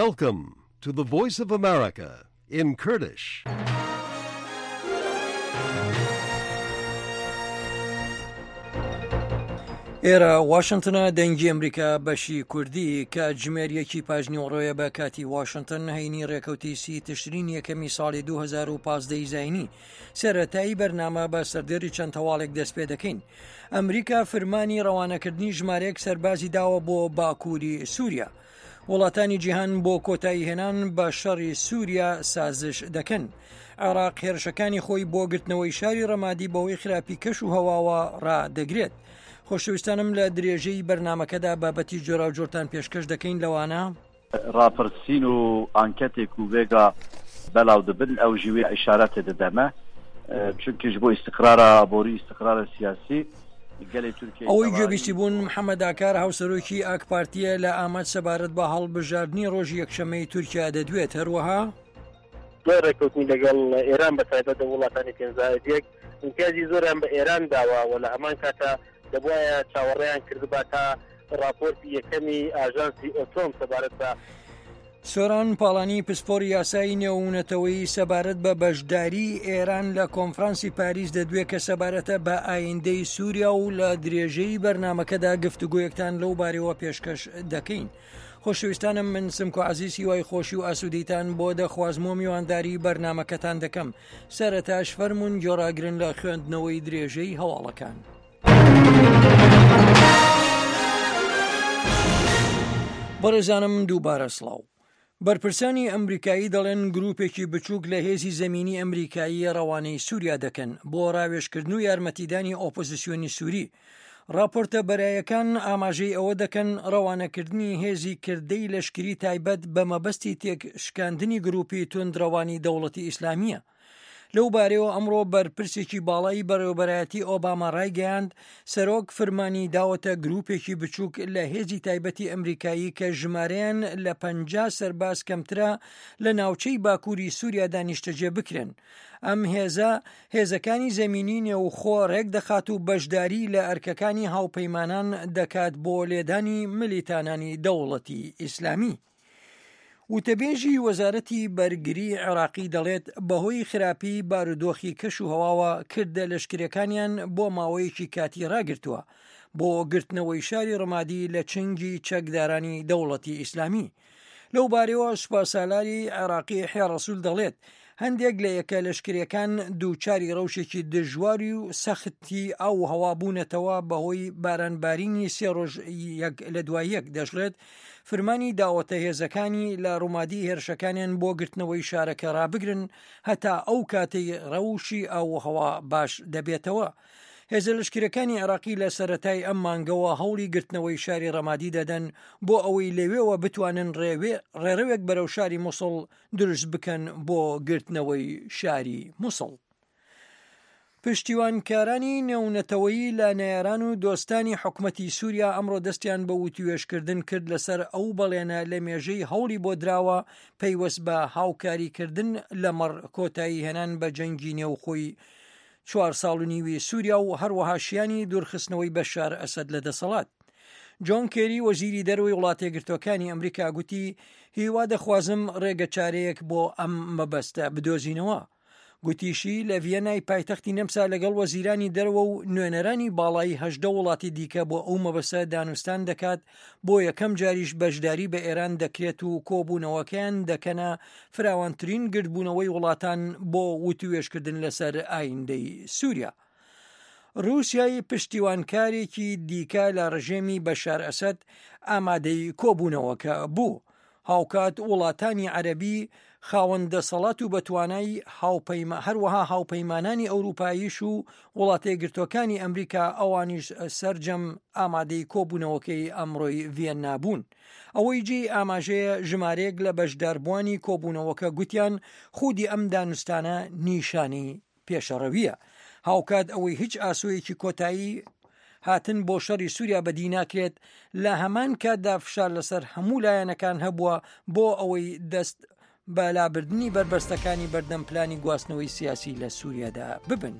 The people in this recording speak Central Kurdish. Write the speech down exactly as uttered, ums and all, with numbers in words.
Welcome to the Voice of America in Kurdish. ئێرە واشنتنە، دەنگی ئەمریکا بەشی کوردی. کاتژمێر یەکی پاش نیوەڕۆیە بە کاتی واشنتن، هەینی ڕێکەوتی سی تشرین یەکەمی ساڵی دوو هەزار و پازدە زایینی. سەرەتایی بەرنامە بە سەردێری چەند هەواڵێک دەست پێ دەکەین. ئەمریکا فرمانی ڕەوانەکردنی ژمارەیەک سەربازی داوە بۆ باکووری سووریا. وڵاتانی جیهان بۆ کۆتایی هێنان بە شەڕی سووریا سازش دەکەن. عێراق هێرشەکانی خۆی بۆ گرتنەوەی شاری ڕەمادی بەهۆی خراپی کەش و هەواوە ڕادەگرێت. خۆشەویستانم، لە درێژەی بەرنمەکەدا بابەتی جۆراوجۆرتان پێشکەش دەکەین، لەوانە: ڕاپرسین و ئانکەتێک و ڤێگا بەلاو دبن، ئەو ژی وێ ئیشارەتێ ددەمە، چونکە ژ بۆ ئیستقرارا ئابووری، ئیستقرارا سیاسی گەلێ تورکیای ئەوەی گوێبیستی بوون محەممەد ئاکار، هاوسەرۆکی ئاک پارتیە لە ئامەد، سەبارەت بە هەڵبژاردنی ڕۆژی یەکشەمەی تورکیا دەدوێت. هەروەها: دوای ڕێککەوتنی لەگەڵ ئێران، بە تایبەت لە وڵاتانی پێنج زائد یەک ئیمتیازی زۆریان بە ئێران داوە و لە هەمان کاتا دەبوایە چاوەڕێیان کردبا تا ڕاپۆرتی یەکەمی ئاژانسی ئۆتۆم سەبارەت بە سۆران پاڵانی، پسپۆری یاسایی نێونەتەوەی، سەبارەت بە بەشداری ئێران لە کۆنفرانسی پاریس دەدوێ کە سەبارەتە بە ئایندەی سووریا و لە درێژەی بەرنمەکەدا گفتوگۆیەکتان لەو بارەوە پێشکەش دەکەین. خۆشەویستانم، من سمکۆ عزیز هیوای خۆشی و ئاسوودەیتان بۆ دەخوازم و میوانداری بەرنمەکەتان دەکەم. سەرەتاش فەرمونون گوێڕاگرن لە خوێندنەوەی درێژەی هەواڵەکان. بەڕێزانم، دووبارە سڵاو. بەرپرسانی ئەمریکایی دەڵێن گروپێکی بچووک لە هێزی زەمینی ئەمریکایی ڕەوانەی سووریا دەکەن بۆ ڕاوێژکردن و یارمەتیدانی ئۆپۆزیسیۆنی سووری. راپۆرتە بەرایەکان ئاماژەی ئەوە دەکەن ڕەوانەکردنی هێزی کردەی لەشکری تایبەت بە مەبەستی تێک شکاندنی گروپی توندڕەوانی دەوڵەتی ئیسلامیە. لەو بارەیەوە ئەمڕۆ بەرپرسێکی باڵای بەڕێوەبەرایەتی ئۆباما ڕایگەیاند، سەرۆک فرمانی داوەتە گروپێکی بچووک لە هێزی تایبەتی ئەمریکایی کە ژمارەیان لە پەنجا سەرباز کەمترە لە ناوچەی باکووری سووریادا نیشتەجێ بکرێن. ئەم هێزە هێزەکانی زەمینی نێوخۆ ڕێک دەخات و بەشداری لە ئەرکەکانی هاوپەیمانان دەکات بۆ لێدانی ملیتانانی دەوڵەتی ئیسلامی. وتەبێژی وەزارەتی بەرگری عێراقی دەڵێت بەهۆی خراپی بارودۆخی کەش و هەواوە کردە لەشکرەکانیان بۆ ماوەیەکی کاتی ڕاگرتووە بۆ گرتنەوەی شاری ڕمادی لە چنگی چەکدارانی دەوڵەتی ئیسلامی. لەو بارەوە سوپاسالاری عێراقی یەحیا ڕەسول دەڵێت هەندێک لە یەکە لەشکرەکان دووچاری ڕەوشێکی دژواری و سەختی ئاو و هەوا بوونەتەوە بەهۆی بارانبارینی سێ ڕۆژ یەک لە دوای یەک. دەشڵێت فرمانی داوەتە هێزەکانی لە ڕومادی هێرشەکانیان بۆ گرتنەوەی شارەکە ڕابگرن هەتا ئەو کاتەی ڕەوشی ئاو و هەوا باش دەبێتەوە. هێزە لەشکرەکانی عێراقی لە سەرەتای ئەم مانگەوە هەوڵی گرتنەوەی شاری ڕەمادی دەدەن بۆ ئەوەی لەوێوە بتوانن ڕێڕەوێک بەرەو شاری موسڵ دروست بکەن بۆ گرتنەوەی شاری موسڵ. پشتیوانکارانی نێونەتەوەیی لە نەیاران و دۆستانی حکومەتی سووریا ئەمڕۆ دەستیان بە وتوێژکردن کرد لەسەر ئەو بەڵێنە لە مێژەی هەوڵی بۆ دراوە پەیوەست بە هاوکاریکردن لەمەڕ کۆتایی هێنان بە جەنگی نێوخۆی چوار ساڵ و نیوی سووریا و هەروەها شیانی دوورخستنەوەی بەشار ئەسەد لە دەسەڵات. جۆن کێری، وەزیری دەرەوەی وڵاتە یەکگرتووەکانی ئەمریکا، گوتی هیوا دەخوازم ڕێگە چارەیەک بۆ ئەم مەبەستە بدۆزینەوە. گوتیشی لە ڤیەنای پایتەختی نەمسا لەگەڵ وەزیرانی دەرەوە و نوێنەرانی باڵای هەژدە وڵاتی دیکە بۆ ئەو مەبەستە دانوستان دەکات، بۆ یەکەم جاریش بەشداری بە ئێران دەکرێت و کۆبوونەوەکەیان دەکەنە فراوانترین گردبوونەوەی وڵاتان بۆ وتوێژکردن لەسەر ئایندەی سووریا. رووسیای پشتیوانکارێکی دیکە لە ڕژێمی بەشار ئەسەد ئامادەی کۆبوونەوەکە بوو. هاوکات وڵاتانی عەربی خاوەن دەسەڵات و بەتوانای هاوپەیما، هەروەها هاوپەیمانانی ئەوروپاییش و وڵاتە یەکگرتووەکانی ئەمریکا، ئەوانیش سەرجەم ئامادەی کۆبوونەوەکەی ئەمڕۆی ڤیەننا بوون. ئەوەی جێی ئاماژەیە، ژمارەیەک لە بەشداربووانی کۆبوونەوەکە گوتیان خودی ئەم دانوستانە نیشانی پێشەڕەویە. هاوکات ئەوەی هیچ ئاسۆیەکی کۆتایی هاتن بۆ شەڕی سووریا بەدی ناکرێت، لە هەمان کاتدا فشار لەسەر هەموو لایەنەکان هەبووە بۆ ئەوەی دەست بە لابردنی بەربەستەکانی بەردەم پلانی گواستنەوەی سیاسی لە سووریادا ببن.